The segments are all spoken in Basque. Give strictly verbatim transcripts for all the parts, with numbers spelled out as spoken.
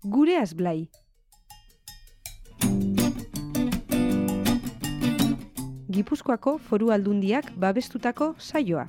Gureaz Blai. Gipuzkoako Foru Aldundiak babestutako saioa.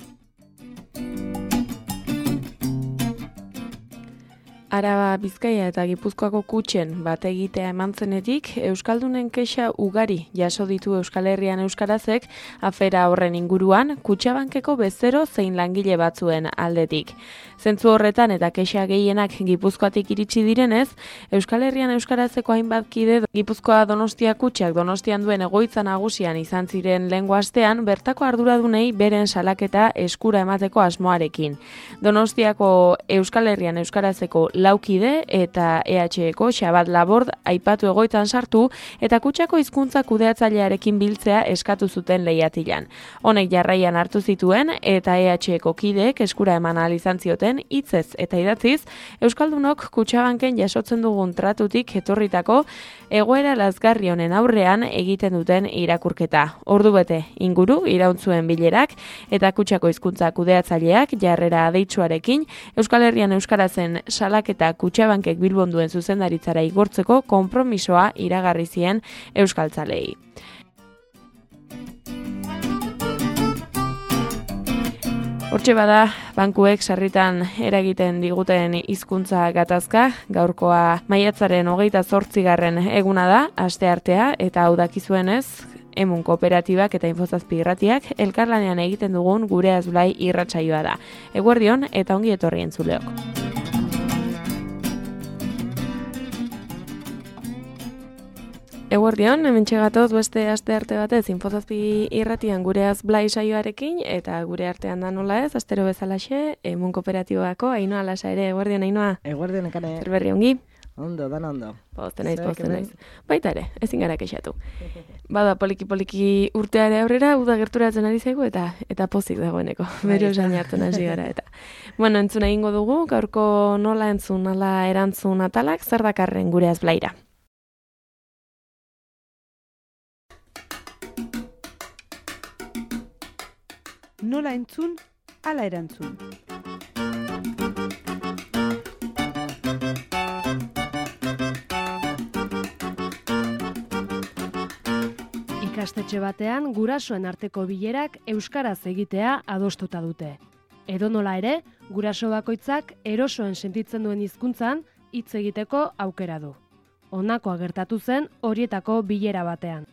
Araba, Bizkaia eta Gipuzkoako kutxen bat egitea eman zenetik, Euskaldunen kexa ugari jaso ditu Euskal Herrian euskarazek afera horren inguruan, Kutxabankeko bezero zein langile batzuen aldetik. Zentzu horretan eta kexa gehienak Gipuzkoatik iritsi direnez, Euskal Herrian euskarazeko hainbat kide Gipuzkoa Donostia kutxak Donostian duen egoitza nagusian izan ziren lehengo astean, bertako arduradunei beren salaketa eskura emateko asmoarekin. Donostiako Euskal Herrian euskarazeko laukide eta E H Eko Xabat Labord aipatu egoitan sartu eta kutxako hizkuntza kudeatzailearekin biltzea eskatu zuten lehiatilan. Honek jarraian hartu zituen eta E H Eko kideek eskura eman ahal izan zioten hitzez eta idatziz Euskaldunok Kutxabanken jasotzen dugun tratutik etorritako egoera lazgarri honen aurrean egiten duten irakurketa. Ordubete inguru irauntzuen bilerak eta kutxako hizkuntza kudeatzaileak jarrera adeitsuarekin Euskal Herrian euskarazen salak eta Kutxabankek Bilbon duen zuzendaritzara igortzeko konpromisoa iragarri zien euskaltzalei. Hortxe bada, bankuek sarritan eragiten diguten hizkuntza gatazka, gaurkoa maiatzaren hogeita zortzigarren eguna da, asteartea, eta hau dakizuenez, Emun kooperatibak eta infozazpi irratiak elkarlanean egiten dugun Gureaz Blai irratsaioa da. Eguerdion eta ongi etorri entzuleok. Eguerdion, hemen txegatoz beste aste arte batez infozazpi irratian Gureaz Blai saioarekin eta gure artean da nola ez, astero bezalaxe, Emun kooperatibako Ainhoa Lasa ere. Eguerdion, Ainhoa? Eguerdion, ekane. Zer berri ongi? Ondo, dan ondo. Pozten naiz, pozten naiz. Baita ere, ezin gara kexatu. Bada, poliki-poliki urteare aurrera, uda gerturatzen ari zaigu eta eta pozik dagoeneko. Bero esan hartzen hasi gara eta. Bueno, entzun egingo dugu, gaurko nola entzun, nola erantzun atalak, zer dakarren Gureaz Blaira. Nola entzun, ala erantzun. Ikastetxe batean gurasoen arteko bilerak euskaraz egitea adostuta dute. Edonola ere, guraso bakoitzak erosoen sentitzen duen hizkuntzan hitz egiteko aukera du. Honakoa gertatu zen horietako bilera batean.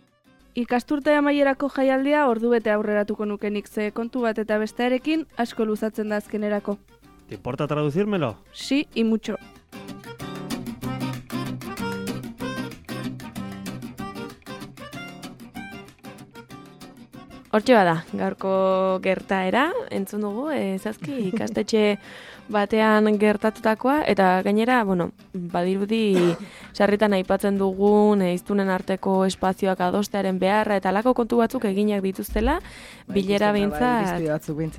Ikasturte amaierako jaialdia ordubete aurreratuko nukenik ze kontu bat eta bestearekin asko luzatzen da azkenerako. ¿Te importa traducírmelo? Sí, y mucho. Hortxe bada, gaurko gertaera, entzun dugu, ezazki ikastetxe batean gertatutakoa, eta gainera, bueno, badirudi sarritan aipatzen dugun hiztunen arteko espazioak adostearen beharra eta alako kontu batzuk eginak dituztela, ba, bilera behintzat,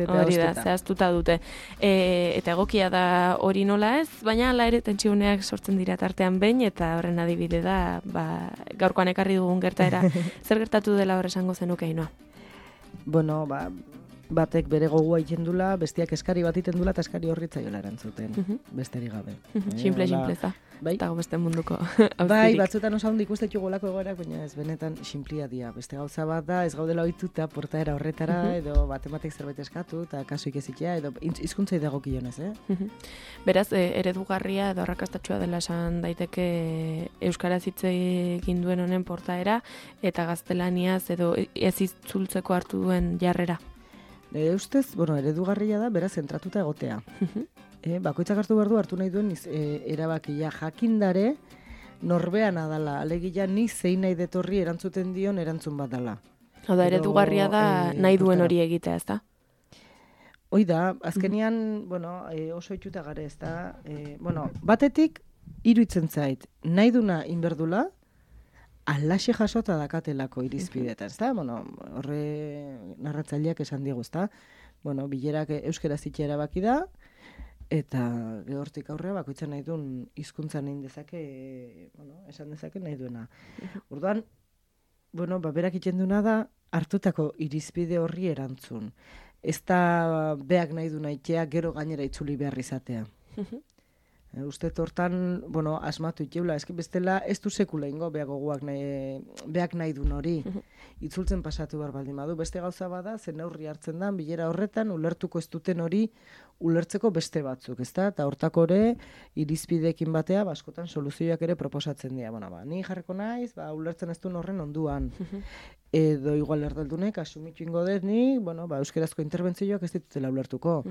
hori da, zehaztuta dute. E, eta egokia da hori nola ez, baina ala ere tentsiuneak sortzen dira tartean behin, eta horren adibide da, ba, gaurkoan ekarri dugun gertaera, zer gertatu dela hor esango zenuke, Ainhoa? Bueno, ba, batek bere gogua itxendula, bestiak eskari bat itendula eta eskari horritzaiola erantzuten, uh -huh. besteri gabe. Simple, eh, simpleza. Bai? Eta beste munduko Bai, batzutan osa handi ikustetu golako egoerak, baina ez benetan simplia dia. Beste gauza bat da, ez gaudela ohituta portaera horretara, uh -huh. edo batematek zerbait eskatu, eta kasuik ezitea, edo hizkuntzai dagokionez, eh? Uh -huh. Beraz, e, eredugarria edo arrakastatxua dela esan daiteke euskaraz hitz egin duen honen portaera, eta gaztelaniaz edo ez itzultzeko hartu duen jarrera. Nire ustez, bueno, eredugarria da, beraz, zentratuta egotea. Uh-huh. e, bakoitzak hartu behar du, hartu nahi duen iz, e, erabakia jakindare norbean adala, alegia ni zein nahi detorri erantzuten dion erantzun bat dala. Hau da, eredugarria da e, nahi duen hori egitea, ez da? Hoi da, azkenian, uh-huh. bueno, e, oso itxuta gare, ez da, e, bueno, batetik, iruditzen zait, nahi duna inberdula, alaxe jasota dakatelako irizpidetan, ezta? Bueno, horre narratzaileak esan diegu, ezta? Bueno, bilerak euskaraz hitza erabaki da, eta hortik aurrea bakoitzan nahi duen hizkuntza nahi dezake, bueno, esan dezake nahi duena. Orduan, bueno, ba, berak itxenduna da, hartutako irizpide horri erantzun. Ez da beak nahi du nahitea, gero gainera itzuli behar izatea. E, uste hortan, bueno, asmatu itxeula, eski bestela ez du sekula ingo, beak goguak nahi, beak nahi dun hori. Itzultzen pasatu behar baldin badu. Beste gauza bada, zen neurri hartzen da, bilera horretan, ulertuko ez duten hori, ulertzeko beste batzuk, ezta? Eta hortako ere, irizpidekin batea, baskotan soluzioak ere proposatzen dira. Bueno, ba, ni jarriko naiz, ba, ulertzen ez duen horren onduan. Edo igual erdaldunek, asumitu ingo dut ni, bueno, ba, euskerazko interbentzioak ez ditutela ulertuko.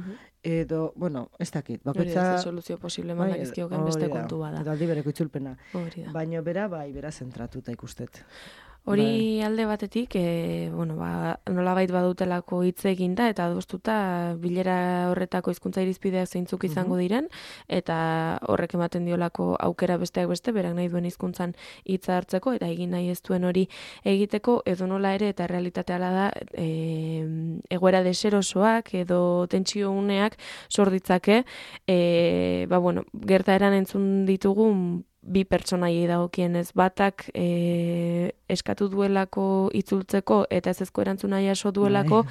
Edo, bueno, ez dakit. Bakoitza... Ez soluzio posible eman dakizkioken beste kontu bada. Eta aldi bereko itzulpena. Baina bera, bai, bera zentratuta ikustet. Hori alde batetik, e, bueno, ba, nolabait badutelako hitz eginda eta adostuta bilera horretako hizkuntza irizpideak zeintzuk izango diren, eta horrek ematen diolako aukera besteak beste, berak nahi duen hizkuntzan hitza hartzeko, eta egin nahi ez duen hori egiteko, edo nola ere, eta realitatea da, e, egoera deserosoak edo tentsio uneak sor ditzake, e, ba, bueno, gertaeran entzun ditugun bi pertsonaiei dagokienez, batak e, eskatu duelako itzultzeko eta ezezko erantzuna jaso duelako,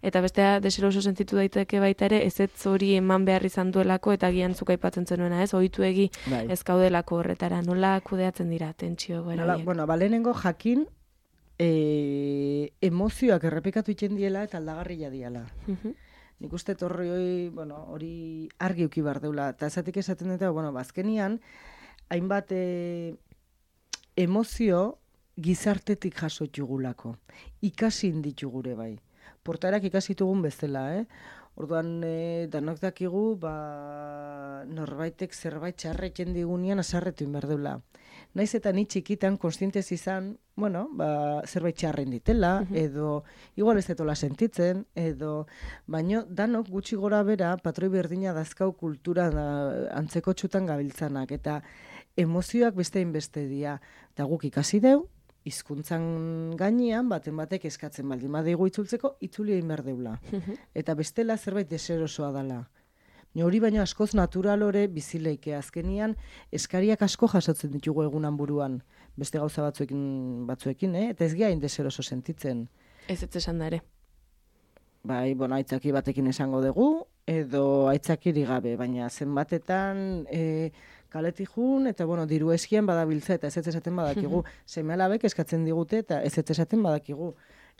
eta bestea deseroso sentitu daiteke baita ere, ezetz hori eman behar izan duelako, eta gian zuk aipatzen zenuena, ez? Ohituegi ez kaudelako horretara, nola kudeatzen dira tentsio goeraiek? Bueno, balenengo jakin e, emozioak errepikatu itzen diela eta aldagarria diala. Nik uste torri hori, bueno, hori argi uki behar deula, eta esatik esaten dut, bueno, bazkenian, hainbat e, emozio gizartetik jaso txugulako. Ikasi inditxugure bai. Portaerak ikasitugun bezala, eh? Orduan, e, danok dakigu, ba, norbaitek zerbait txarretzen digunean asarretu inberdeula. Naiz eta ni txikitan konstientez izan, bueno, ba, zerbait txarren ditela, edo igual ez detola sentitzen, edo baino danok gutxi gora bera patroi berdina dazkau kultura da, antzeko txutan gabiltzanak, eta emozioak bestein beste dira. Eta guk ikasi deu, hizkuntzan gainean, baten batek eskatzen baldin badeigu itzultzeko, itzuli egin behar deula. Eta bestela zerbait deserosoa dela. Hori baino askoz natural ore bizileike azkenian eskariak asko jasotzen ditugu egunan buruan. Beste gauza batzuekin, batzuekin, eh? Eta ez geha indeseroso sentitzen. Ez ez esan da ere. Bai, bueno, aitzaki batekin esango dugu, edo aitzakiri gabe, baina zenbatetan e, kaletik jun, eta bueno, diru eskian badabiltza, eta ez ez esaten badakigu. Seme alabek eskatzen digute, eta ez ez esaten badakigu.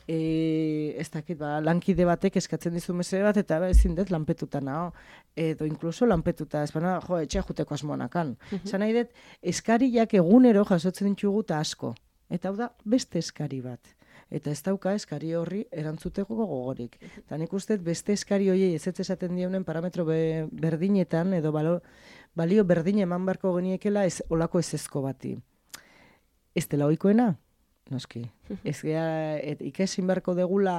E, ez dakit, ba, lankide batek eskatzen dizu mesede bat, eta ezin dut lanpetuta nao, edo inkluso lanpetuta, ez baina, jo, etxea juteko asmoanakan. Zan nahi dut, eskariak egunero jasotzen ditugu eta asko. Eta hau da, beste eskari bat. Eta ez dauka eskari horri erantzuteko gogorik. Eta nik uste beste eskari horiei ez ez esaten dieunen parametro be, berdinetan, edo balo, balio berdin eman barko geniekela ez, olako ezezko bati. Ez dela ohikoena? Noski. Ez gea, et, ikesin beharko degula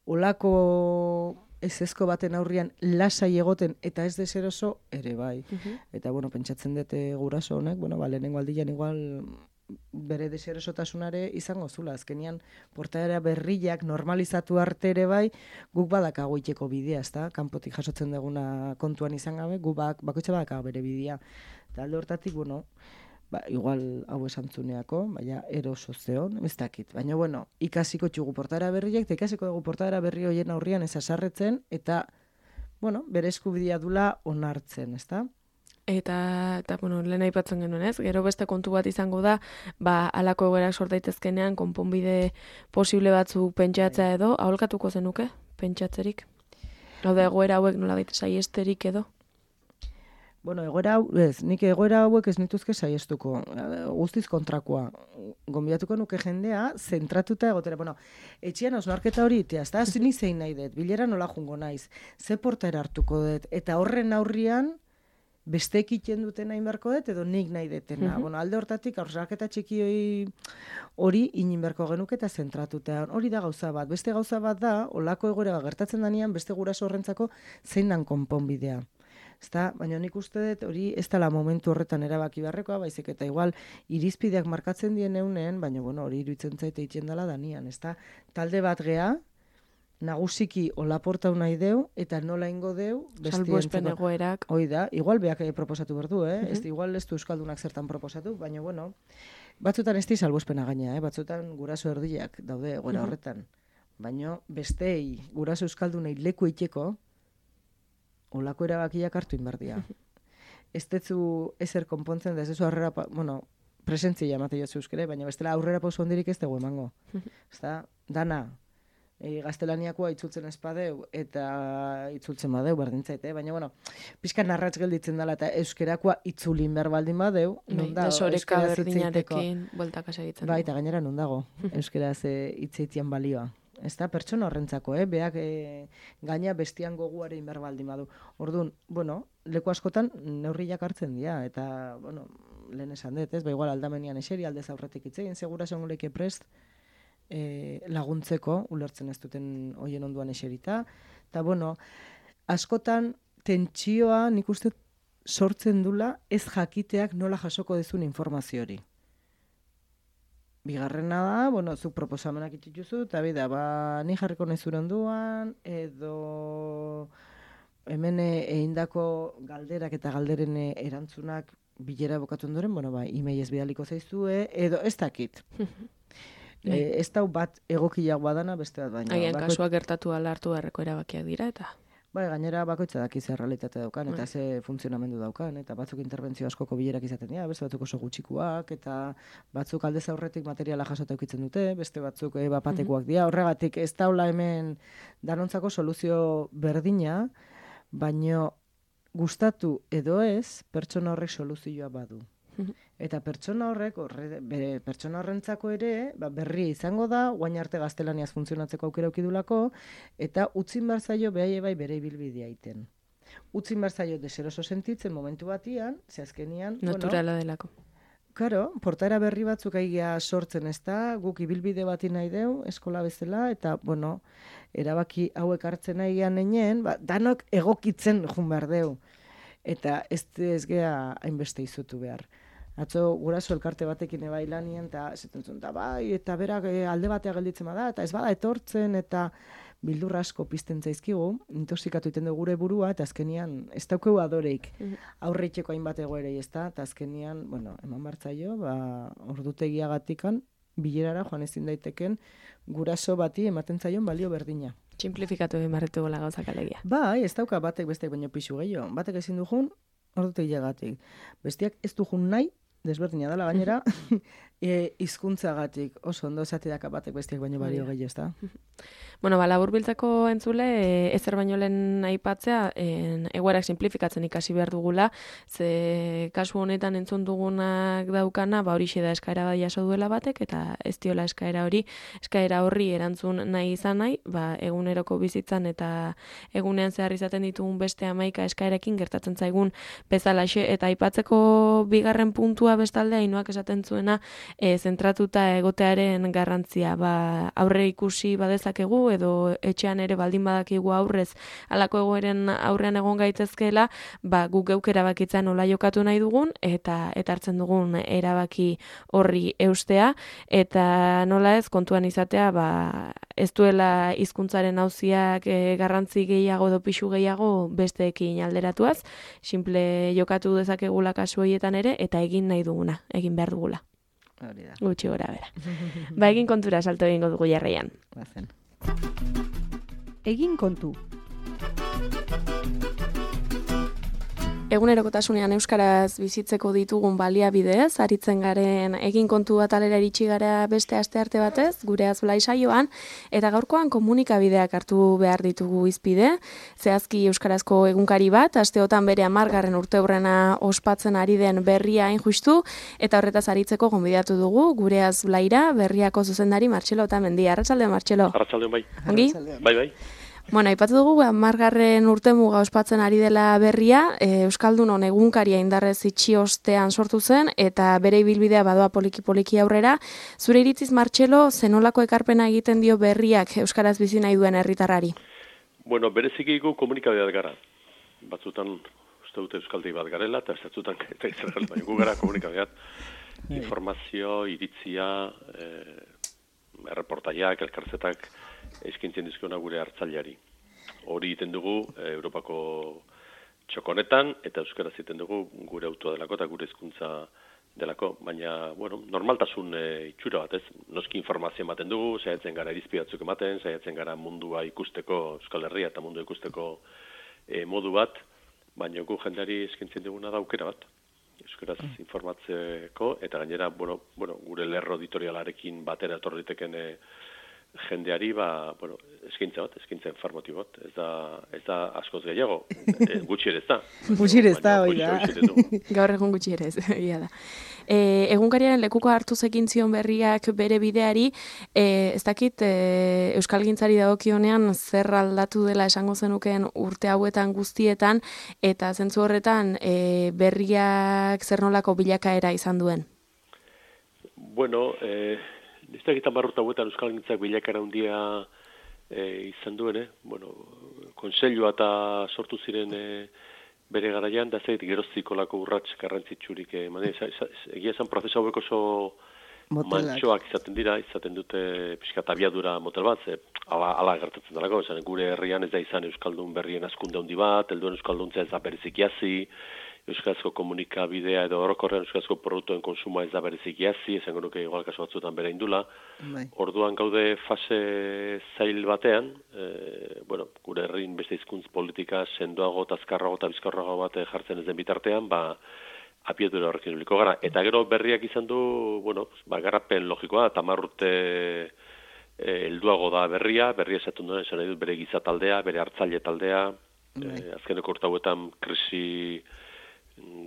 olako ezezko baten aurrian lasai egoten eta ez deseroso ere bai. Eta bueno, pentsatzen dute guraso honek, bueno, ba, lehenengo aldian igual bere deserosotasunare izango zula. Azkenian portaera berriak normalizatu arte ere bai, guk badakago iteko bidea, ezta? Kanpotik jasotzen duguna kontuan izan gabe, guk bak, bakoitza badakago bere bidea. Eta alde hortatik, bueno, ba, igual hau esantzuneako, baina eroso zeon, ez dakit. Baina, bueno, ikasiko txugu portaera berriak, eta ikasiko dugu portaera berri horien aurrian ez asarretzen, eta, bueno, bere eskubidea dula onartzen, ezta? Eta, eta bueno, lehen aipatzen genuen, ez? Gero beste kontu bat izango da, ba, alako egoerak sort daitezkenean, konponbide posible batzuk pentsatzea edo, aholkatuko zenuke, pentsatzerik? Hau da, egoera hauek nolabait saiesterik edo? Bueno, egoera hau, ez, nik egoera hauek ez nituzke saiestuko, guztiz kontrakoa. Gonbidatuko nuke jendea, zentratuta egotera. Bueno, etxean osnarketa hori itea, ez da, ni zein nahi dut, bilera nola jungo naiz, ze portaera hartuko dut, eta horren aurrian, beste ekiten duten nahi beharko dut, edo nik nahi detena. Uh-huh. Bueno, alde hortatik, osnarketa txiki hori inin beharko genuke eta zentratuta. Hori da gauza bat. Beste gauza bat da, olako egoera gertatzen danean, beste guraso horrentzako zein dan konponbidea. Ezta, baina nik uste dut hori ez dela momentu horretan erabaki beharrekoa, baizik eta igual irizpideak markatzen dien eunen, baina bueno, hori iruditzen zaite itzen dela danian, ezta? Talde bat gea, nagusiki olaportau nahi deu, eta nola ingo deu, salbuespen egoerak. Hoi da, igual beak proposatu berdu, eh? Uh-huh. Ez igual ez du euskaldunak zertan proposatu, baina bueno, batzutan ez di salbuespena gaina, eh? Batzutan guraso erdiak daude egoera uh-huh. horretan. Baina bestei, guraso euskaldunei leku iteko, olako erabakiak hartu inberdia. ez detzu ezer konpontzen, da ez dezu aurrera, bueno, presentzia emate jozu euskere, baina bestela aurrera pauso hondirik ez dugu emango. Ezta, dana, e, gaztelaniakoa itzultzen espadeu, eta itzultzen badeu, berdintzait, eh? Baina, bueno, pixka narratz gelditzen dela, eta euskerakoa itzulin behar baldin badeu, non da, desoreka berdinarekin bueltaka segitzen. Bai, eta gainera non dago, euskeraz hitzeitian balioa. Ez da, pertsona horrentzako, eh? Beak e, gaina bestian goguare inber baldin badu. Orduan, bueno, leku askotan neurriak hartzen dira, eta, bueno, lehen esan dut, ez? Ba, igual aldamenian eseri, aldez aurretik itzein, segura esan goleke prest e, laguntzeko, ulertzen ez duten hoien onduan eserita. Eta, bueno, askotan tentsioa nik uste sortzen dula ez jakiteak nola jasoko dezun informazio hori. Bigarrena da, bueno, zuk proposamenak itxituzu, eta bida, ba, ni jarriko nezure onduan, edo hemen egindako galderak eta galderen erantzunak bilera bokatu ondoren, bueno, ba, e-mailez bidaliko zaizue, edo ez dakit. e, ez dau bat egokiak badana, beste bat baina. Agian bako... kasua gertatu ala hartu beharreko erabakiak dira, eta... Bai, gainera bakoitza daki ze realitate daukan, eta ze funtzionamendu daukan, eta batzuk interbentzio askoko bilerak izaten dira, beste batzuk oso gutxikuak, eta batzuk aldez aurretik materiala jasota eukitzen dute, beste batzuk e, bapatekoak dira, horregatik ez daula hemen danontzako soluzio berdina, baino gustatu edo ez, pertsona horrek soluzioa badu. Eta pertsona horrek, horre, bere pertsona horrentzako ere, ba, berria izango da, guain arte gaztelaniaz funtzionatzeko aukera ukidulako, eta utzin behar zaio behai bai bere ibilbidea iten. Utzin behar zaio deseroso sentitzen momentu batian, ze azkenian... Naturala bueno, delako. Karo, portaera berri batzuk aigia sortzen ez da, guk ibilbide bati nahi deu, eskola bezala, eta, bueno, erabaki hauek hartzen nahi gehan nenien, ba, danok egokitzen jun behar deu. Eta ez ez gea hainbeste izutu behar. Atzo guraso elkarte batekin ebai lanien, eta esaten zuen, eta bai, eta berak e, alde batea gelditzen bada, eta ez bada etortzen, eta bildur asko pizten zaizkigu, intoxikatu iten dugu gure burua, eta azkenian ez daukeu adoreik aurreiteko hainbat egoerei, ez da, eta azkenian, bueno, eman bartzaio, ba, ordutegiagatikan, bilerara joan ezin daiteken guraso bati ematen zaion balio berdina. Simplifikatu egin barretu gola gauzak alegia. Bai, ez dauka batek bestek baino pixu gehiago. Batek ezin du jun, ordutegiagatik. Bestiak ez du jun nahi, desberdina dela gainera, e, hizkuntzagatik oso ondo esateak batek bestiak baino balio gehiago, ez da? Bueno, ba, laburbiltzako entzule, e, ezer baino lehen aipatzea, en, egoerak simplifikatzen ikasi behar dugula, ze kasu honetan entzun dugunak daukana, ba, horixe da eskaera bat jaso duela batek, eta ez diola eskaera hori, eskaera horri erantzun nahi izan nahi, ba, eguneroko bizitzan eta egunean zehar izaten ditugun beste hamaika eskaerekin gertatzen zaigun bezalaxe, eta aipatzeko bigarren puntua bestalde Ainoak esaten zuena, e, zentratuta egotearen garrantzia, ba, aurre ikusi badezakegu, edo etxean ere baldin badakigu aurrez halako egoeren aurrean egon gaitezkeela, ba, guk geuk erabakitzen nola jokatu nahi dugun, eta eta hartzen dugun erabaki horri eustea, eta nola ez kontuan izatea, ba, ez duela hizkuntzaren auziak e, garrantzi gehiago edo pixu gehiago besteekin alderatuaz, simple jokatu dezakegula kasu horietan ere, eta egin nahi duguna, egin behar dugula. Hori da. Gutxi gora bera. Ba, egin kontura salto egingo dugu jarraian. Bazen. Egin kontu. Egunerokotasunean euskaraz bizitzeko ditugun baliabideez, aritzen garen egin kontu bat alera iritsi gara beste astearte batez, gure azblai saioan, eta gaurkoan komunikabideak hartu behar ditugu izpide, zehazki euskarazko egunkari bat, asteotan bere hamargarren urteurrena ospatzen ari den Berria hain justu, eta horretaz aritzeko gonbidatu dugu, gure azblaira Berriako zuzendari Martxelo Otamendi. Arratsaldeon, Martxelo. Arratsaldeon, bai. Ongi? Bai, bai. Bueno, aipatu dugu, hamargarren urtemuga ospatzen ari dela Berria, e, Euskaldunon egunkaria indarrez itxi ostean sortu zen, eta bere ibilbidea badoa poliki-poliki aurrera. Zure iritziz, Martxelo, zenolako ekarpena egiten dio Berriak euskaraz bizi nahi duen herritarrari? Bueno, berezikiko komunikabideak gara. Batzutan uste dute euskaldi bat garela, eta ez batzutan eta izan gara, baina gu gara komunikabideak. Informazio, iritzia, eh, erreportaiak, elkarzetak, eskintzen dizkiona gure hartzaileari. Hori egiten dugu e, Europako txokonetan, eta euskaraz egiten dugu gure autoa delako eta gure hizkuntza delako, baina, bueno, normaltasun e, itxura bat, ez? Noski informazio ematen dugu, saiatzen gara irizpidatzuk ematen, saiatzen gara mundua ikusteko, Euskal Herria eta mundua ikusteko e, modu bat, baina gu jendeari eskintzen duguna da aukera bat. Euskaraz informatzeko, eta gainera, bueno, bueno, gure lerro editorialarekin batera etorriteken e, jendeari, ba, bueno, eskintza bat, eskintza informatibo bat, ez da, ez da askoz gehiago, e, gutxi ere ez da. Gutxi ere ez da, hoi da. Gaur egun gutxi ere ez, egia da. E, egunkariaren lekuko hartu zekin zion berriak bere bideari, e, ez dakit, e, euskalgintzari dagokionean zer aldatu dela esango zenukeen urte hauetan guztietan, eta zentzu horretan e, berriak zer nolako bilakaera izan duen? Bueno, eh, ez da egitan barruta hauetan euskalgintzak bilakara handia e, izan duen, eh? Bueno, konseilua eta sortu ziren e, bere garaian, da zeit geroztikolako urrats garrantzitsurik eman. E, egia esan prozesu hauek oso mantxoak izaten dira, izaten dute pixkat abiadura motel bat, ze, ala, ala gertatzen dalako, esan, gure herrian ez da izan euskaldun berrien askunde handi bat, helduen euskalduntza ez da berezik jazi, euskarazko komunikabidea edo orokorrean euskarazko produktuen konsuma ez da berezik jazi, esango nuke igual kasu batzuetan bere indula. Bai. Orduan gaude fase zail batean, e, bueno, gure herrin beste hizkuntz politika sendoago, azkarrago eta bizkorrago bat jartzen ez den bitartean, ba, abiadura horrekin uliko gara. Eta gero berriak izan du, bueno, ba, garapen logikoa, tamar urte helduago da berria, berria esatu duen, esan nahi dut bere gizataldea, bere hartzaile taldea, e, azkeneko urte hauetan krisi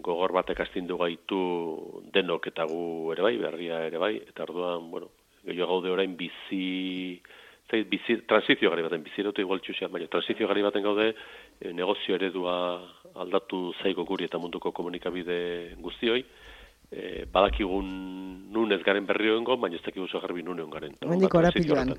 gogor batek astindu gaitu denok eta gu ere bai, berria ere bai, eta orduan, bueno, gehiago gaude orain bizi, zait, bizi, transizio gari baten, bizi erotu igual txusian, baina transizio gari baten gaude, e, negozio eredua aldatu zaigo guri eta munduko komunikabide guztioi, e, badakigun nun ez garen berri hoengo, baina ez dakigu zo garbi nun egon garen. Mendiko arapiluan.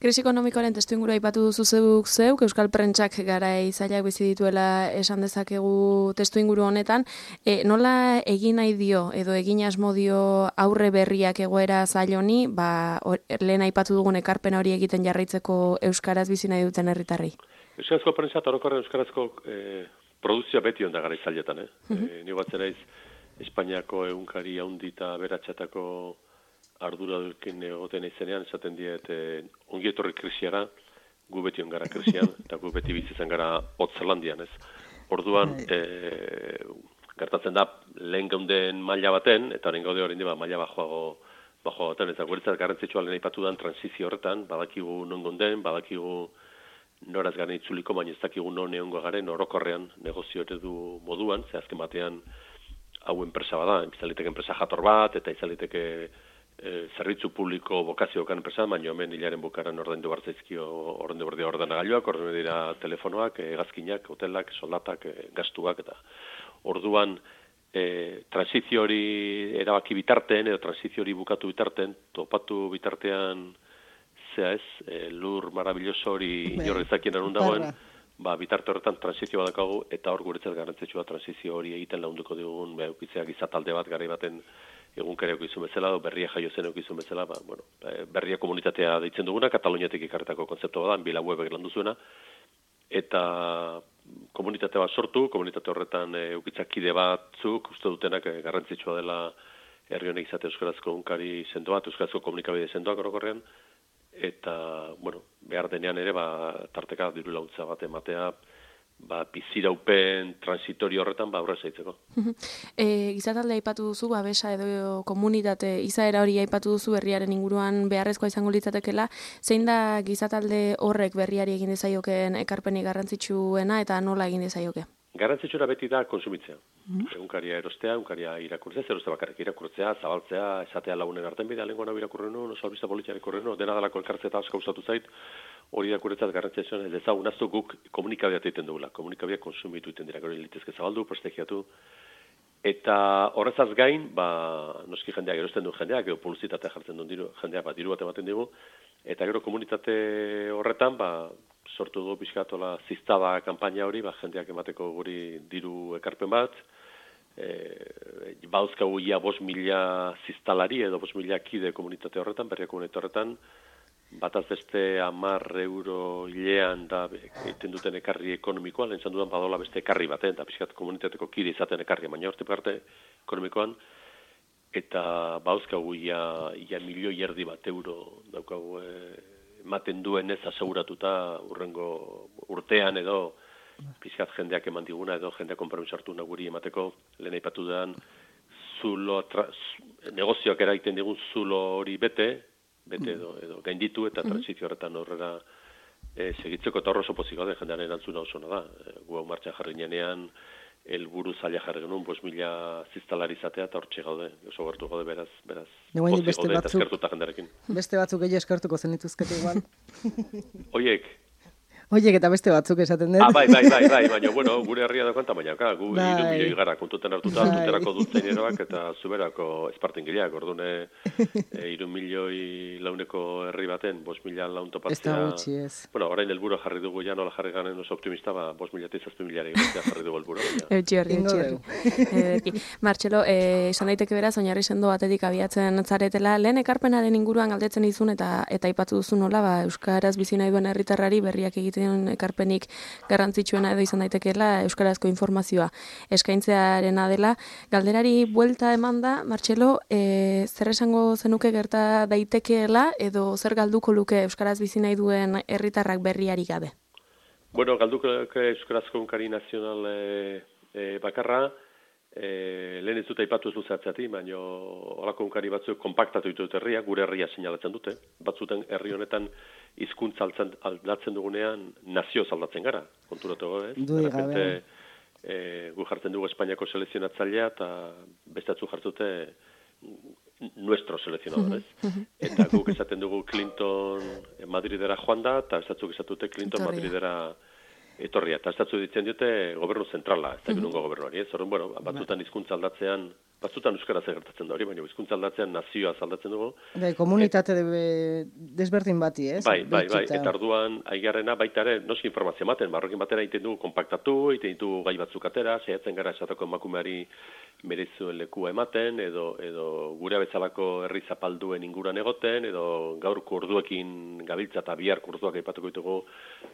Krisi ekonomikoaren testuinguru aipatu duzu zeuk zeuk, Euskal Prentsak garai zailak bizi dituela esan dezakegu testuinguru honetan. E, nola egin nahi dio, edo egin asmo dio aurre berriak egoera zail honi, ba, or, lehen aipatu dugun ekarpena hori egiten jarraitzeko Euskaraz bizi nahi duten herritarrei? Euskarazko Prentsa eta orokorren Euskarazko e, produzioa beti onda gara zailetan, eh? Uh -huh. e, Ni batzen naiz Espainiako egunkari haundi eta beratxatako ardura dukin egoten izenean, esaten diet, eh, ongi etorri krisiara, gu beti ongara krisian, eta gu beti bizitzen gara Hotzelandian, ez? Orduan, eh, gertatzen da, lehen geunden maila baten, eta horren gaude horrein diba maila bajoago, bajoago baten, eta guretzat garrantzitsua lehen aipatu dan transizio horretan, badakigu non gonden, badakigu noraz garen itzuliko, baina ez dakigu non egongo garen orokorrean negozio eredu moduan, ze azken batean hau enpresa bada, izaliteke enpresa jator bat, eta izaliteke E, zerbitzu publiko bokaziokan enpresa, baina hemen hilaren bukaran ordaindu bartzaizkio ordaindu berdia ordenagailuak, ordaindu dira telefonoak, hegazkinak, hotelak, soldatak, e, gastuak, eta orduan e, transizio hori erabaki bitarten, edo transizio hori bukatu bitarten, topatu bitartean, zea ez, e, lur marabilloso hori inorrezakien anun dagoen, ba, bitarte horretan transizio badakagu, eta hor guretzat garrantzitsua transizio hori egiten lagunduko digun, ba, eukitzeak izatalde bat garai baten egunkariak izun bezala, berria jaio zen izun bezala, ba, bueno, berria komunitatea deitzen duguna, Kataluniatik ikarretako konzeptu da, bila webek landu zuena, eta komunitate bat sortu, komunitate horretan eukitzakide batzuk, uste dutenak garrantzitsua dela herri honek izate euskarazko egunkari sendo bat, euskarazko komunikabide sendoak orokorrean, eta, bueno, behar denean ere, ba, tarteka diru laguntza bat ematea, ba, biziraupen transitorio horretan, ba, aurrez aitzeko. E, gizatalde aipatu duzu, babesa edo komunitate, izaera hori aipatu duzu berriaren inguruan beharrezkoa izango litzatekela, zein da gizatalde horrek berriari egin dezaioken ekarpenik garrantzitsuena eta nola egin dezaioke? Garrantzitsura beti da konsumitzea. Mm. Egunkaria erostea, egunkaria irakurtzea, zer uste bakarrik irakurtzea, zabaltzea, esatea lagunen arten bidea, lenguan hau irakurren nuen, oso albista politiak irakurren nuen, dena dalako elkartzea eta asko gustatu zait, hori irakurretzat garrantzitsua ez dezagun aztu guk komunikabideat egiten dugula. Komunikabideak konsumitu egiten dira, gero litezke zabaldu, prestigiatu, eta horrezaz gain, ba, noski jendeak erosten du jendeak, edo publizitatea jartzen duen diru, jendeak ba, diru bat ematen digu, eta gero komunitate horretan, ba, sortu du pixkatola ziztada kanpaina hori, ba, jendeak emateko guri diru ekarpen bat, e, bauzkagu ia bost mila ziztalari edo bost mila kide komunitate horretan, berria komunitate horretan, bataz beste hamar euro hilean da egiten duten ekarri ekonomikoan, lehen dudan badola beste ekarri baten, eta pixkat komunitateko kide izaten ekarri, baina horte parte ekonomikoan, eta bauzkagu ia, ia milioi erdi bat euro daukagu e, ematen duen ez aseguratuta urrengo urtean edo pizkat jendeak eman diguna edo jendeak konpromiso hartu guri emateko, lehen aipatu den zulo, tra, negozioak eraiten digun zulo hori bete, bete edo, edo gainditu eta transizio horretan horrela e, segitzeko eta horro sopozik gaude jendearen erantzuna oso da. E, gu hau martxan jarri nenean, helburu zaila jarri genuen, bost mila ziztalari izatea eta hortxe gaude, oso gertu gaude beraz, beraz, pozik beste gaude eta eskertuta jendearekin. Beste batzuk gehi eskertuko zenituzkete igual. Oiek, Oiek eta beste batzuk esaten dut. Ah, bai, bai, bai, bai, baina, bueno, gure herria dagoen tamainaka, gu bai. hiru milioi gara kontuten hartuta, bai. zuterako duztaineroak eta zuberako espartingileak, ordune hiru milioi launeko herri baten, bost mila laun topatzea. Ez da gutxi ez. Bueno, orain helburu jarri dugu ja nola jarri garen oso optimista, ba, bost mila eta zazpi miliari jarri dugu helburu. Eutxi horri, eutxi horri. Martxelo, esan daiteke beraz, oinarri sendo batetik abiatzen zaretela, lehen ekarpenaren inguruan galdetzen izun eta eta aipatu duzu nola, ba, euskaraz bizi nahi duen herritarrari berriak egiten ekarpenik garrantzitsuena edo izan daitekeela euskarazko informazioa eskaintzearena dela. Galderari buelta emanda, Martxelo, e, zer esango zenuke gerta daitekeela edo zer galduko luke euskaraz bizi nahi duen herritarrak berriari gabe? Bueno, galduko euskarazko egunkari nazional e, e, bakarra, e, lehen ez dut aipatu ez luzeatzati, baina holako egunkari batzuk konpaktatu ditut herria, gure herria seinalatzen dute. Batzuten herri honetan hizkuntza aldatzen dugunean nazio aldatzen gara, konturatu ez? Dui gabe. E, gu jartzen dugu Espainiako selekzionatzailea eta bestatzu jartzute nuestro selekzionador, ez? Eta guk esaten dugu Clinton Madridera joan da, eta estatzuk esatute Clinton Madridera etorria. Eta estatzu ditzen diote gobernu zentrala, ez da ginungo gobernuari, ez? Horren, bueno, batzutan hizkuntza aldatzean, batzutan euskaraz gertatzen da hori, baina hizkuntza aldatzean nazioaz aldatzen dugu. Bai, komunitate de, desberdin bati, ez? Bai, bai, bai, eta arduan aigarrena baita ere noski informazio ematen, marrokin batera egiten dugu konpaktatu, egiten ditugu gai batzuk atera, saiatzen gara esateko emakumeari merezuen lekua ematen, edo, edo gure bezalako herri zapalduen inguruan egoten, edo gaurko orduekin gabiltza eta biharko orduak aipatuko ditugu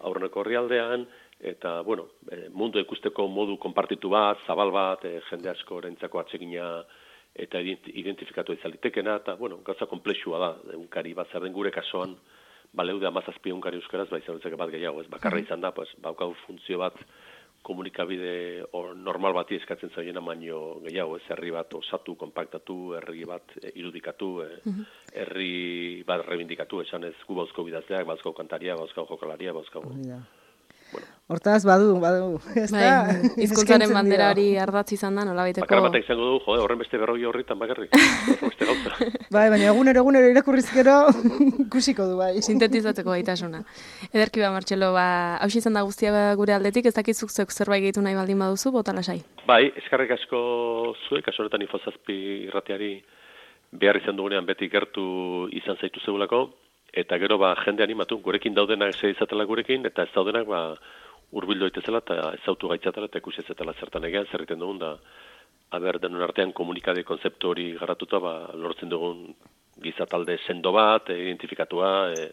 aurreneko herrialdean, eta, bueno, mundu ikusteko modu konpartitu bat, zabal bat, e, jende asko orentzako atsegina eta identifikatu izalitekena, eta, bueno, gauza komplexua da, egunkari bat zer den gure kasuan, baleude amazazpi egunkari euskaraz, ba, izan bat gehiago, ez, bakarra izan da, pues, baukau funtzio bat, komunikabide or, normal bati eskatzen zaiena baino gehiago, ez, herri bat osatu, konpaktatu, herri bat e, irudikatu, e, herri bat reivindikatu, esan ez, gu bauzko bidazleak, bauzko kantaria, bauzko jokalaria, bauzko... Bueno. Hortaz, badu, badu. Ez da, hizkuntzaren bandera hori ardatz izan da, nola baiteko... Bakar batek izango du, jode, horren beste berroi horretan bakarrik. Beste gauza. Bai, baina egunero, egunero irakurrizkero ikusiko du, bai. Sintetizatzeko gaitasuna. Ederki ba, Martxelo, ba, hausi izan da guztia gure aldetik, ez dakizuk zeuk zerbait gehitu nahi baldin baduzu, bota lasai. Bai, eskarrik asko zuek, kaso horretan infozazpi irrateari behar izan dugunean beti gertu izan zaitu zeulako, eta gero ba jende animatu, gurekin daudenak ze izatela gurekin, eta ez daudenak ba hurbildu daitezela eta ezautu gaitzatela eta ikusi ezetela zertan egean, zer egiten dugun da, aber denon artean komunikade konzeptu hori garatuta, ba, lortzen dugun gizatalde sendo bat, e, identifikatua, e,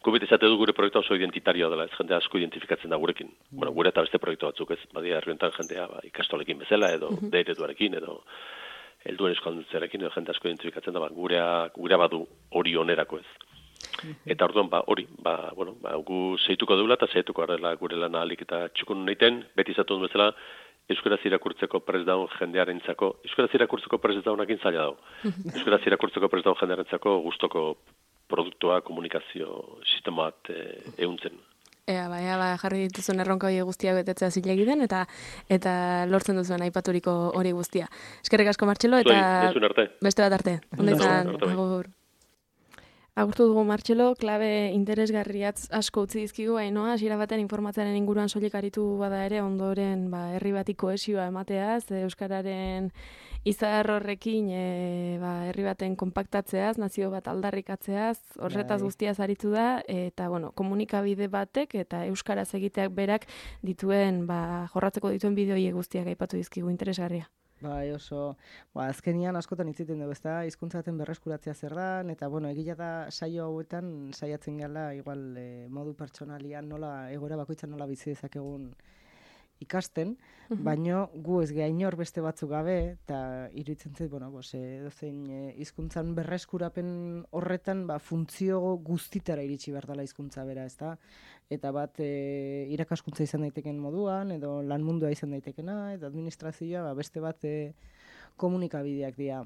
gubit esate du gure proiektua oso identitarioa dela, ez jende asko identifikatzen da gurekin. Mm. Bueno, gure eta beste proiektu batzuk, ez, badia herriontan jendea ba, ikastolekin bezala, edo mm -hmm. deiretuarekin, edo helduen eskualdutzearekin, edo jende asko identifikatzen da, ba, gurea, gurea badu hori onerako ez. Eta orduan, ba, hori, ba, bueno, ba, gu zeituko deula eta zeituko garela gure lana alik eta txukun naiten, beti izatu duen bezala, euskaraz irakurtzeko prest daun jendearentzako, euskaraz irakurtzeko prest daunakin zaila dago. Euskaraz irakurtzeko prest daun jendearentzako gustoko produktua, komunikazio sistema bat e, ehuntzen. Ea, ba, ea, ba, jarri dituzuen erronka hori guztiak betetzea zilegi den, eta eta lortzen duzuen aipaturiko hori guztia. Eskerrik asko, Martxelo, eta Zoi, beste bat arte. Ondo izan, agur. Agurtu dugu, Martxelo, klabe interesgarriatz asko utzi dizkigu, Ainoa, hasiera baten informatzearen inguruan soilik aritu bada ere, ondoren ba, herri bati kohesioa emateaz, euskararen izar horrekin e, ba, herri baten konpaktatzeaz, nazio bat aldarrikatzeaz, horretaz guztiaz aritu da, eta bueno, komunikabide batek eta euskaraz egiteak berak dituen, ba, jorratzeko dituen bideoiek guztiak aipatu dizkigu, interesgarria. Bai, oso, ba, azkenian askotan itziten dugu, ezta, hizkuntzaten berreskuratzea zer da, eta, bueno, egia da saio hauetan saiatzen gala, igual, e, modu pertsonalian nola, egoera bakoitzan nola bizi dezakegun ikasten, baino gu ez geha inor beste batzuk gabe, eta iruditzen zait, bueno, bos, edozein hizkuntzan berreskurapen horretan, ba, funtzio guztitara iritsi behar dela hizkuntza bera, ezta? Eta bat e, irakaskuntza izan daiteken moduan, edo lan mundua izan daitekena, eta administrazioa, ba, beste bat e, komunikabideak dira.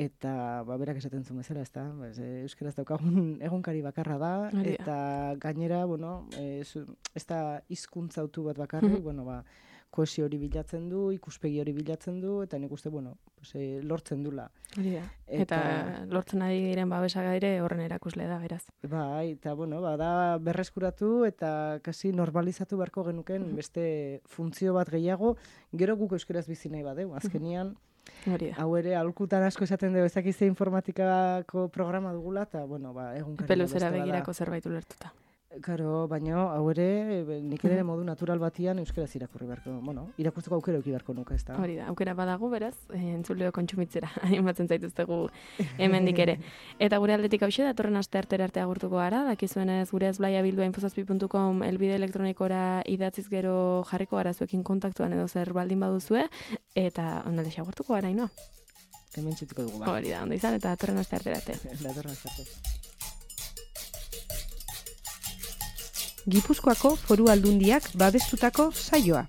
Eta ba, berak esaten zuen bezala, ezta? Ba, euskaraz daukagun egunkari bakarra da, eta gainera, bueno, e, zu, ez da hizkuntza autu bat bakarrik, bueno, ba, kohesio hori bilatzen du, ikuspegi hori bilatzen du, eta nik uste, bueno, pues, e, lortzen dula. Hori da. Eta, eta lortzen ari diren babesaga ere horren erakusle da, beraz. Bai, eta, bueno, ba, da berreskuratu eta kasi normalizatu beharko genuken beste funtzio bat gehiago, gero guk euskaraz bizi nahi badeu, azkenian, hau ere, aholkutan asko esaten dugu, ezakizte informatikako programa dugula, eta, bueno, ba, egunkari. Peluzera begirako zerbait ulertuta. Karo, baina hau ere, nik ere modu natural batian euskaraz irakurri beharko, bueno, irakurtzeko aukera euki beharko nuke, ez da? Hori da, aukera badago, beraz, entzuleo kontsumitzera, animatzen zaituztegu hemendik ere. Eta gure aldetik hauxe, datorren aste artera arte agurtuko gara, dakizuenez gure ezblaia bildua infozazpi puntu com elbide elektronikora idatziz gero jarriko gara zuekin kontaktuan edo zer baldin baduzue, eta ondalde agurtuko gara, ino? Hemen txutiko dugu, ba. Hori da, ondo izan, eta datorren aste artera arte. Datorren aste arte. Gipuzkoako Foru Aldundiak babestutako saioa.